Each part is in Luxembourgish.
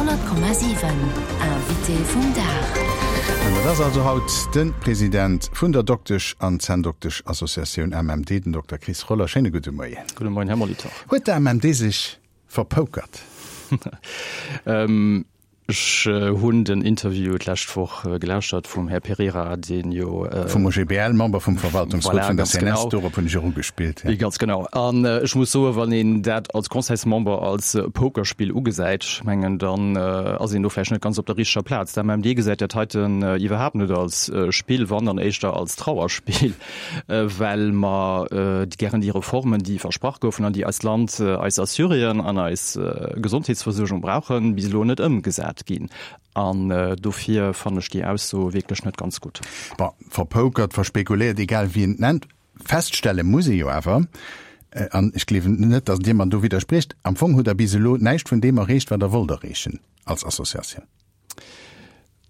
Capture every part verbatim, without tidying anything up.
Honnert Komma siwen, Invité vum Dag. An dat ass also haut de President vun der Doktesch an Zänndoktesch-Associatioun A M M D, den Dokter Chris Roller. Schéine gudde Moien. Gudde Moien, Här Molitor. Huet d'A M M D sech verpokert? ähm, Ech hunn den Interview d'lescht Woch gelauschtert vum Här Pereira, deen jo. Vum O G B L, Member vum Verwaltungsrot vun der C N S, dorop hunn ech och ugespillt. Ja. Ganz genau. An ech muss soen, wann een dat als Conseilsmember als Pokerspill ugesäit, ech mengen, dann ass een do vläicht net ganz op der richteger Plaz. D'A M M D gesäit dat heiten iwwerhaapt net als Spill, wann dann éischter als Trauerspill, well mer gären déi Reformen, déi versprach goufen an déi eist Land, eis Assuréen an eis Gesondheetsversuergung brauchen, bis elo net ëmgesat ginn. An dofir fannen ech déi Ausso wierklech net ganz gutt. Bon, verpokert, verspekuléiert, egal wéi een et nennt, feststelle muss ee jo awer, an ech gleewen net, datt Dir mer do widderspriecht, am Fong hutt Der bis elo näischt vun deem erreecht, wat Der wollt erreechen als Associatioun.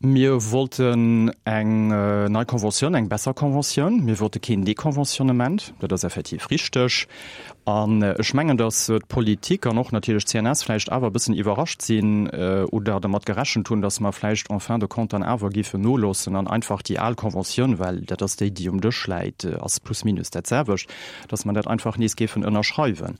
Mir wollten eng nei Conventioun, eng besser Conventioun. Mir wollte keen Deconventionnement, dat ass effektiv richteg. An ech mengen, datt d'Politik an och natierlech d'C N S vläicht awer e bëssen iwwerrascht sinn oder dermat gerechent hunn, datt mer vläicht en fin de compte dann awer géifen noloossen an einfach déi al Conventioun, well dat ass déi, déi um Dësch läit, ass plus minus dat selwecht, datt mer dat einfach nees géifen ënnerschreiwen.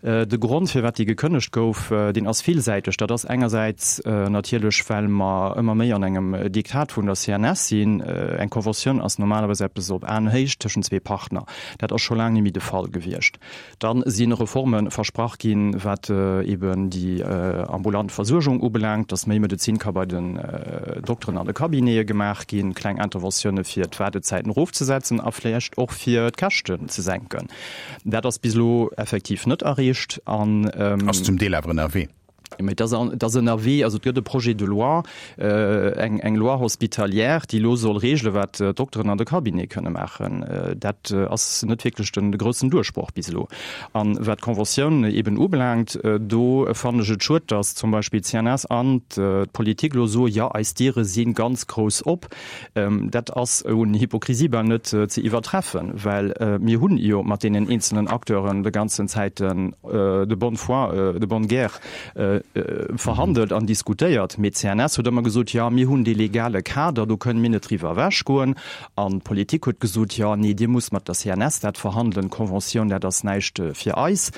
De Grond, firwat déi gekënnegt gouf, deen ass villsäiteg. Dat ass engersäits natierlech, well mer ëmmer méi an engem Diktat vun der C N S sinn. Eng Conventioun ass normalerweis eppes op Aenhéicht tëschent zwee Partner. Dat ass scho laang net méi de Fall gewiescht. Dann si Reforme versprach ginn, wat eben déi ambulant Versuergung ubelaangt, dass méi Medezin ka bei den Dokteren an de Cabinete gemaach ginn, kleng Interventioune fir d'Waardezäiten erofzesetzen a vläicht och fir d'Käschten ze senken. Dat ass bis elo effektiv net erreecht an. Ass zum Deel awer ënnerwee. Mee dat ass ënnerwee, also et gëtt e Projet de loi, eng eng Loi hospitalière, déi elo soll regele wat d'Dokteren an de Cabinet kënne maachen. Dat ass net wierklech de groussen Duerchbroch bis elo. An wat d'Conventioun eben ubelaangt, do fannen ech et schued, datt zum Beispill d'C N S an d'Politik elo soen, jo eis Diere si ganz grouss op. Dat ass un Hypokrisie bal net ze iwwertreffen, well mir hunn jo mat deenen eenzelnen Acteuren de ganzen Zäiten de bonne foi, de bonne guerre verhandelt an diskutéiert. Mee d'C N S huet ëmmer gesot, jo mir hunn dee legale Kader, do kënnen mir net driwwer ewechgoen. An d'Politik huet gesot, jo nee, Dir musst mat der C N S dat verhandelen, d'Conventioun, dat ass näischt fir eis.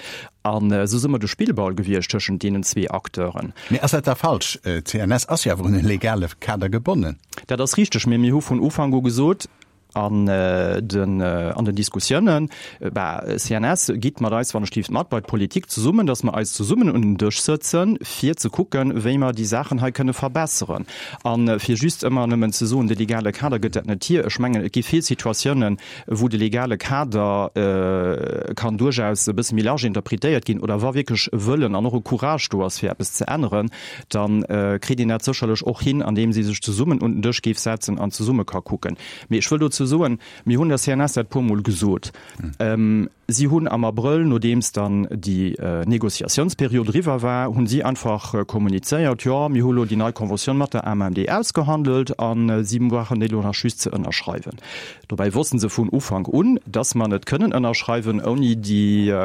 An esou si mer de Spillball gewiescht tëschent deenen zwee Acteuren. Mee ass dat da falsch? D'C N S ass jo awer un e legale Kader gebonnen. Dat ass richteg, mee mir hu vun Ufank u gesot, an den an den Diskussiounen, bah, C N S, gitt mat eis wann ech liift mat bei d'Politik zesummen, datt mer eis zesummen un den Dësch sëtzen, fir ze kucken, wéi mer déi Saachen hei kënne verbesseren. A fir just ëmmer nëmmen ze soen, de legale Kader gëtt dat net hier, ech mengen, et gi vill Situatiounen, wou de legale Kader kann duerchaus e bësse méi large interpretéiert ginn oder wa wierklech e Wëllen an och e Courage do ass, fir eppes ze änneren, da kritt een dat sécherlech och hin, andeems ee sech zesummen un den Dësch géif setzen an zesumme ka kucken. Mee ech wëll dozou soen, mir hunn der C N S dat puermol gesot. Si hunn am Abrëll, nodeems dann déi Négociatiounsperiod eriwwer war, hunn si einfach kommunizéiert, jo, mir hu lo déi nei Conventioun mat der A M M D ausgehandelt a si brauchen déi elo nach just ze ënnerschreiwen. Dobäi wossten se vun Ufank un, dass mer net kënnen ënnerschreiwen ouni déi,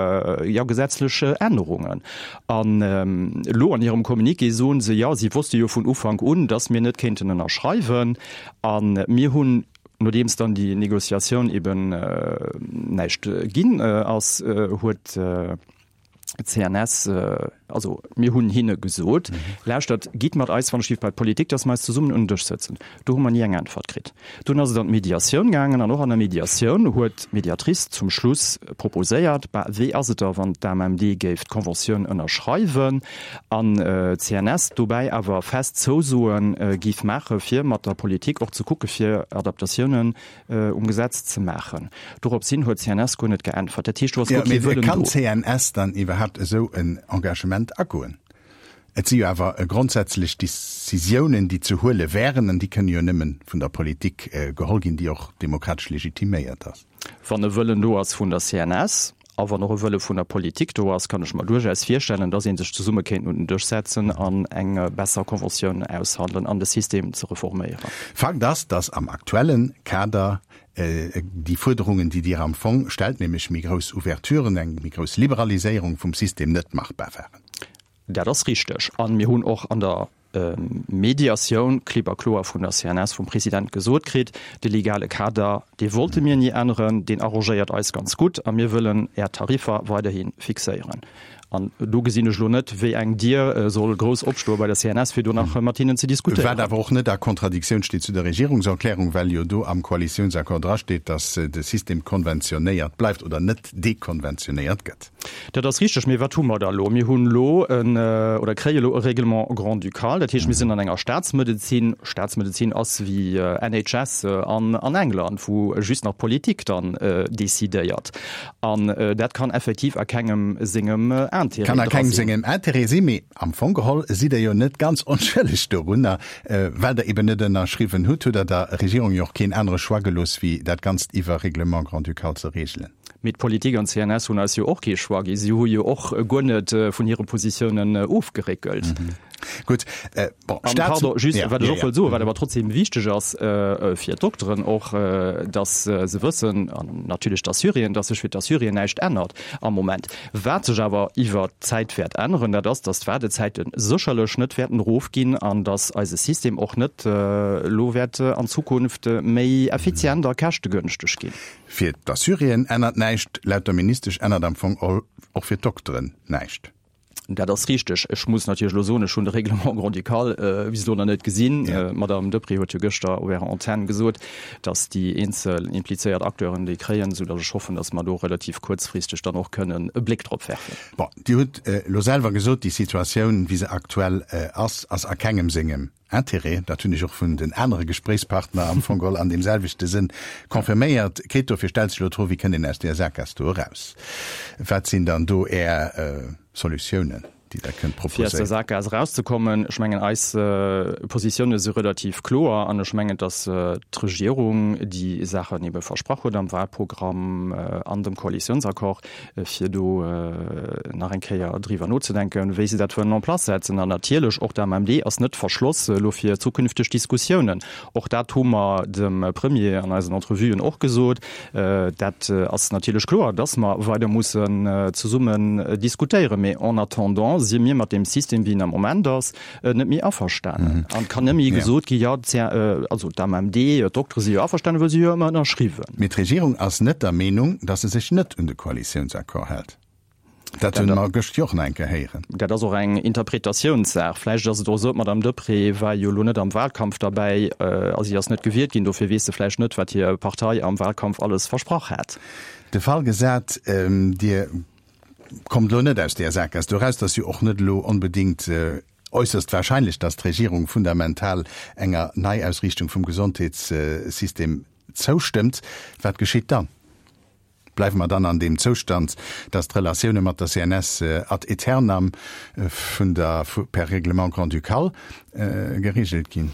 jo, gesetzlech Ännerungen. An elo an hirem Communiqué soen se, jo, si wosste jo vun Ufank un, dass mir net kéinten ënnerschreiwen. A mir hunn, nodeems dann déi Négociatioun eben näischt ginn ass, huet d'C N S, also mir hunn hinne gesot, lauschtert, gitt mat eis wann ech bei d'Politik, datt mer eis zesummen un den Dësch sëtzen. Do hu mer ni eng Äntwert kritt. Dunn ass et an d'Mediatioun gaangen an och an der Mediatioun huet d'Mediatrice zum Schluss proposéiert, bah, wéi ass et da wann d'A M M D géif d'Conventioun ënnerschreiwen an d'C N S dobäi awer fest Zousoe géif maache fir mat der Politik och ze kucke fir Adaptatiounen um Gesetz ze maachen. Dorops hin huet d'C N S guer net geäntwert. Dat heescht, do ass guer kee Wëllen do. Kann d'C N S dann iwwerhaapt esou en Engagement agoen? Et si jo awer grondsätzlech Decisiounen, déi ze huele wären, an déi kënnen jo nëmme vun der Politik geholl ginn, déi och demokratesch legitiméiert ass. Wann e Wëllen do ass vun der C N S a wann och e Wëlle vun der Politik do ass, kann ech mer duerchaus virstellen, dass ee sech zesumme kéint un den Dësch setzen an eng besser Conventioun aushandelen an de System ze reforméieren. Fakt ass, dass am aktuellen Kader déi Fuerderungen, déi Dir am Fong stellt, nämlech méi grouss Ouverturen, eng méi grouss Liberaliséierung vum System, net machbar waren. Dat ass richteg. A mir hunn och an der Mediatioun klipp a kloer vun der C N S, vum President gesot kritt, de legale Kader, dee wollte mir ni änneren, deen arrangéiert eis ganz gutt a mir wëllen Är Tariffer weiderhi fixéieren. An do gesinn ech elo net, wéi eng Dier soll grouss opstoe bei der C N S, fir do nach mat hinnen ze diskutéieren. Wat awer och net a Kontradiktioun steet zu der Regierungserklärung, well jo do am Koalitiounsaccord drasteet, datt de System konventionéiert bleift oder net dekonventionéiert gëtt. Dat ass richteg. Mee wat hu mer da elo? Mir hunn elo en, oder kréie elo e Règlement grand-ducal. Dat heescht, mir sinn an enger Staatsmedezin. Staatsmedezin ass wéi N H S an an England, wou just nach d'Politik dann decidéiert. An dat kann effektiv a kengem sengem Intérêt Kann a dra kengem sinn. sengem Intérêt sinn, mee am Fong geholl sidd Der jo net ganz onschëlleg dorunner, well Der eben net ënnerschriwwen hutt, hutt Der der Regierung jo och keen anere Choix gelooss, wéi dat Ganzt iwwer Règlement grand-ducal ze regelen. Mee d'Politik an d'C N S hunn eis jo och kee Choix gi. Si hu jo och guer net vun hire Positiounen ofgeréckelt. Mhm. Gutt, äh, bon, An, Staats pardon, just, ja, wat ech ja, och ja. wollt soen, wat awer trotzdem wichteg ass äh, fir d'Dokteren och, äh, dass äh, se wëssen, an natierlech d'Assuréen, dass sech fir d'Assuréen näischt ännert am Moment. Wat sech awer iwwer d'Zäit wäert änneren, dat ass, dass d'Waardezäite sécherlech net wäerten erofginn an dass eise System och net äh, elo wäert äh, an Zukunft äh, méi effizient a käschtegënschteg ginn. Fir d'Assuréen ännert näischt, laut der Ministesch ännert am Fong och fir d'Dokteren näischt. Dat ass richteg. Ech muss natierlech elo soen, ech hunn de Règlement grand-ducal äh, bis elo nach net gesinn. Ja. Äh, Madame Deprez huet jo gëschter op ärer Antenn gesot, dass déi eenzel implizéiert Acteuren déi kréien, soudass ech hoffen, dass mer do relativ kuerzfristeg dann och kënnen e Bléck drop werfen. Bon, Dir hutt äh, lo selwer gesot, déi Situatioun, wéi se aktuell äh, ass, ass a kengem sengem Intérêt. Dat hunn ech och vun den anere Gespréichspartner am Fong geholl an deem selwechte Sënn confirméiert kritt. Dofir stellt sech elo d'Fro, wéi kënnt een aus där Sakgaass do eraus? Wat sinn dann do Är äh, Solutiounen, déi Der kënnt Fir aus der proposéieren? Sakgaass erauszekommen, ech mengen, eis äh, Positioune si relativ kloer an ech mengen, dass äh, d'Regierung déi Saachen ebe versprach huet am Wahlprogramm äh, an dem Koalitiounsaccord, äh, fir do äh, nach eng Kéier driwwer nozedenken, wéi se dat wëllen en place setzen. An natierlech och d'A M M D ass net verschloss elo fir zukünfteg Diskussiounen. Och dat hu mer dem Premier an eisen Entrevuen och gesot. Äh, dat äh, ass natierlech kloer, dass mer weider mussen äh, zesummen äh, diskutéieren. Mee en attendant si mir mat deem System, wéi en am Moment ass, äh, net méi averstanen. An kann net méi Ja. gesot gi, ja, d'C- äh, also d'A M M D, d'Doktere si jo averstanen, well si jo ëmmer ënnerschriwwen. Mee d'Regierung ass net der Meenung, dass se sech net un de Koalitiounsaccord hält. Dat hunn mer gëscht jo och nach eng Kéier héieren. Dat ass och eng Interpretatiounssaach. Vläicht ass et och esou, d'Madame Deprez war jo elo net am Wahlkampf derbäi, äh, also si ass net gewielt ginn, dofir weess se vläicht net, wat hir Partei am Wahlkampf alles versprach hat. De Fall gesat, ähm, Dir kommt lo net aus där Sakgaass do eraus, dat ass jo och net lo onbedéngt äh, äusserst warscheinlech, dass d'Regierung fundamental enger Neiausriichtung vum Gesondheetssystem zoustëmmt. Wat geschitt dann? Bleiwe mer dann an deem Zoustand, dass d'Relatioune mat der C N S äh, ad aeternam äh, vun der per Règlement grand-ducal äh, geregelt ginn?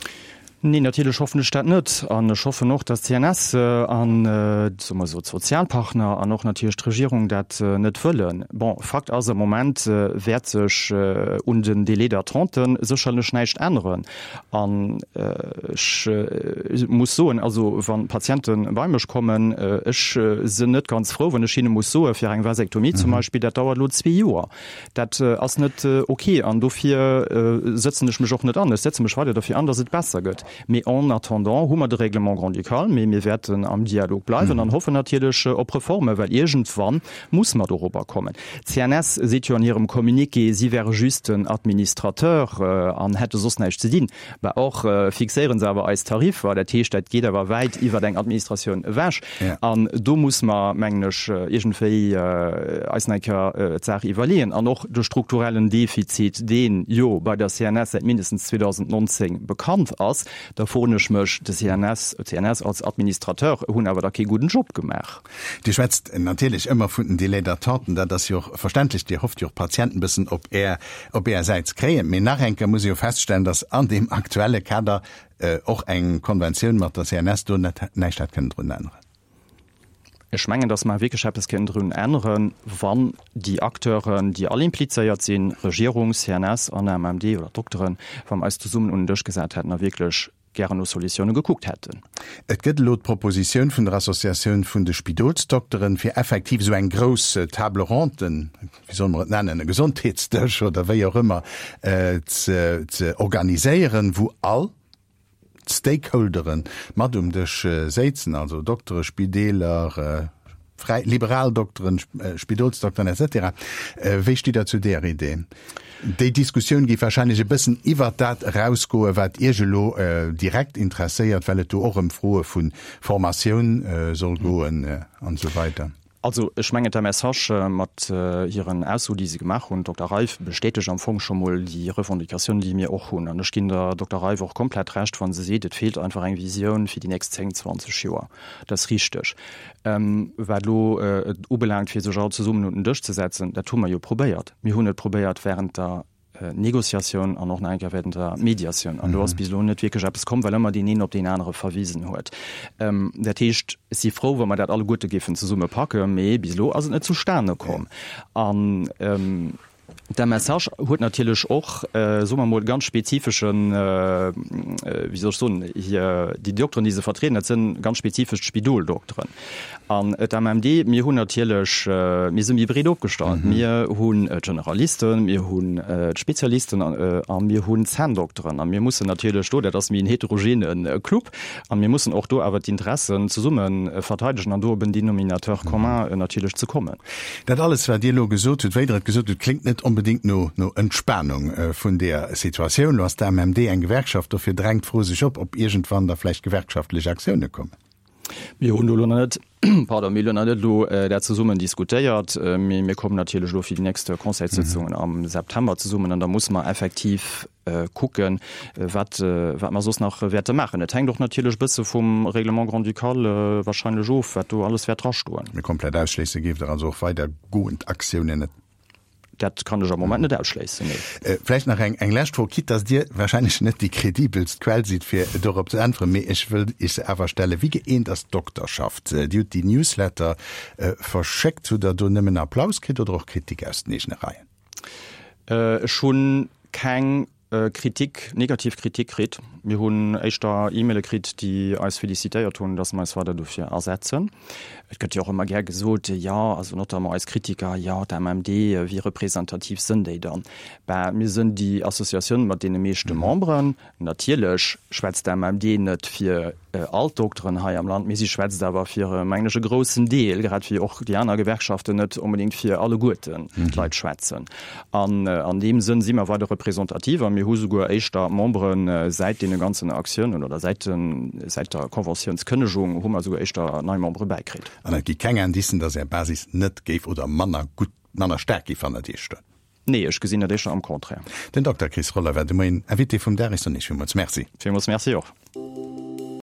Nee, natierlech hoffen ech dat net. An ech hoffen och, dass d'C N S äh, an äh, soe mer sou d'Sozialpartner an och natierlech d'Regierung dat äh, net wëllen. Bon, Fakt ass am Moment äh, wäert sech äh, un den Délai d'attente sécherlech näischt änneren. An äh, ech äh, muss soen, also wann Patiente bei mech kommen, äh, ech äh, sinn net ganz frou, wann ech hinne muss soe fir eng Vasektomie mhm. zum Beispill, dat dauert lo zwee Joer. Dat äh, ass net äh, okay an dofir äh, setzen ech mech och net an. Ech setze mech weider dofir an, dass et besser gëtt. Mee en attendant hu mer de Règlement grand-ducal, mee mir wäerten am Dialog bleiwen mhm. an hoffen natierlech äh, op Reforme, well iergendwann muss mer dorobber kommen. C N S seet jo an hirem Communiqué, si wäre just den Administrateur äh, an hätte soss näischt ze dinn. Bah och äh, fixéieren se awer eis Tariffer, dat heescht, dat geet awer wäit iwwer eng Administratioun ewech. Ja. An do muss mer mengen ech äh, iergendwéi äh, eis eng Kéier äh, d'Saach iwwerleeën. An och de strukturellen Defizit, deen jo bei der C N S säit mindestens zweedausendnonzéng bekannt ass, da froen ech mech, de C N S, C N S als Administrateur hunn awer da kee gudden Job gemaach. Dir schwätzt natierlech ëmmer vun den Délais d'attenten, dat ass jo och verständlech, Dir hofft jo och Patienten bëssen op Är, op Är Säit ze kréien. Mee nach eng Kéier muss ech jo feststellen, dass an deem aktuelle Kader äh, och eng Konventioun mat der C N S do net näischt hätt kënnen drun änneren. Ech mengen, dass mer wierklech eppes kënnen drun änneren, wann déi Acteuren, déi all implizéiert sinn, Regierung, C N S an A M M D oder Dokteren, wa mer eis zesummen un den Dësch gesat hätten a wierklech gären no Solutioune gekuckt hätten. Et gëtt elo d'Propositioun vun der Associatioun vun de Spidolsdokteren, fir effektiv esou eng grouss Table ronde, wéi solle mer et nennen, e Gesondheetsdësch oder wéi och ëmmer, ze ze organiséieren, wou all d'Stakeholdere mat um Dësch séizen, also Doktere, Spideeler, fräi, liberal Dokteren, Spidolsdokteren et cetera. Wéi stitt Der zu där Idee? Déi Diskussioun géif wahrscheinlech e bëssen iwwert dat erausgoen, wat Iech elo direkt interesséiert, well et do och ëm Froe vu Formatioun soll goen an esou weider. Also ech mengen d'MSH mat hiren Aussoen, déi se gemaach hunn, Dokter Reiff, bestätegt am Fong scho mol déi Revendicatioun, déi mir och hunn. An ech ginn der Dokter Reiff och komplett Recht, wa se seet, et feelt einfach eng Visioun fir déi nächst zéng, zwanzeg Joer. Dat ass richteg. Wat elo et ubelaangt, fir sech all zesummen un den Dësch ze setzen, dat hu mer jo probéiert. Mir hunn et probéiert während der Négociatioun an och nach eng Kéier während der Mediatioun. An do ass bis elo net wierklech eppes komm, well ëmmer deen een op deen anere verwisen huet. Dat heescht, ech si frou, wa mer dat alleguerte géifen zesumme packen, mee bis elo ass et net zustane komm. An d'MSH huet natierlech och, soe mer emol, ganz spezifeschen, wéi soll ech soen, hir, déi Dokteren, déi se vertrieden, dat si ganz spezifesch d'Spidoldoktoren. An d'MMD, mir hunn natierlech, mir si méi breet opgestallt. Mir hunn d'Generalisten, mir hunn d'Spezialisten a mir hunn d'Zänndokteren. A mir mussen natierlech do, dat ass méi en heterogene Club, a mir mussen och do awer d'Interessen zesumme verteidegen an do op en Dénominateur commun natierlech ze kommen. Dat alles, wat Dir elo gesot hutt, wéi Der et gesot hutt, kléngt net onbedéngt no no Entspanung vun där Situatioun. Elo ass d'AMMD eng Gewerkschaft, dofir drängt d'Fro sech op, ob iergendwann da vläicht gewerkschaftlech Aktioune kommen. Mir hunn do elo nach net, pardon, mir hunn nach net elo dat zesummen diskutéiert, mee mir kommen natierlech elo fir déi nächst Conseilssëtzungen am September zesummen an da musse mer effektiv kucken, wat, wat mer soss nach wäerte maachen. Et hänkt och natierlech e bësse vum Règlement grand-ducal wahrscheinlech of, wat do alles wäert drastoen. Mee komplett ausschléisse géift Der also och weidergoend Aktiounen net? Dat kann ech am Moment net ausschléissen, nee. Vläicht nach eng, eng lescht Fro, quitte dass Dir wahrscheinlech net déi kredibelst Quell sidd, fir dorop ze äntweren, mee ech wëll Iech se awer stellen. Wéi gëeent ass d'Dokterschaft? Dir hutt déi Newsletter verschéckt. Hutt Der do nëmmen Applaus kritt oder och Kritik aus den eegene Reien? Ech hu keng Kritik, negativ Kritik kritt. Mir hunn éischter E-Maile kritt, déi eis felicitéiert hunn, dass mer eis weider dofir asetzen. Et gëtt jo och ëmmer gär gesot, jo, also notamment eis Kritiker, jo, d'AMMD, wéi representativ sënn déi dann? Ben, mir sënn déi Associatioun mat deene meeschte Memberen. Natierlech schwätzt d'AMMD net fir all d'Dokteren hei am Land, mee si schwätzt awer fir, mengen ech, e groussen Deel, grad wéi och déi aner Gewerkschaften net onbedéngt fir alleguerten d'Leit schwätzen. An an deem Sënn si mer weider representativ a mir hu souguer éischter Membere säit deene ganzen Aktiounen oder säit den, säit der Conventiounskënnegung hu mer souguer éischter nei Membere bäikritt. An et gi keng Indicen, datt Är Basis net géif oder manner gutt, manner staark géif hannert Iech stoen? Nee, ech gesinn dat éischter am Contraire. Den Dokter Chris Roller war de Moien Invité vum Dag. Ech soen Iech villmools Merci. Villmools Merci och.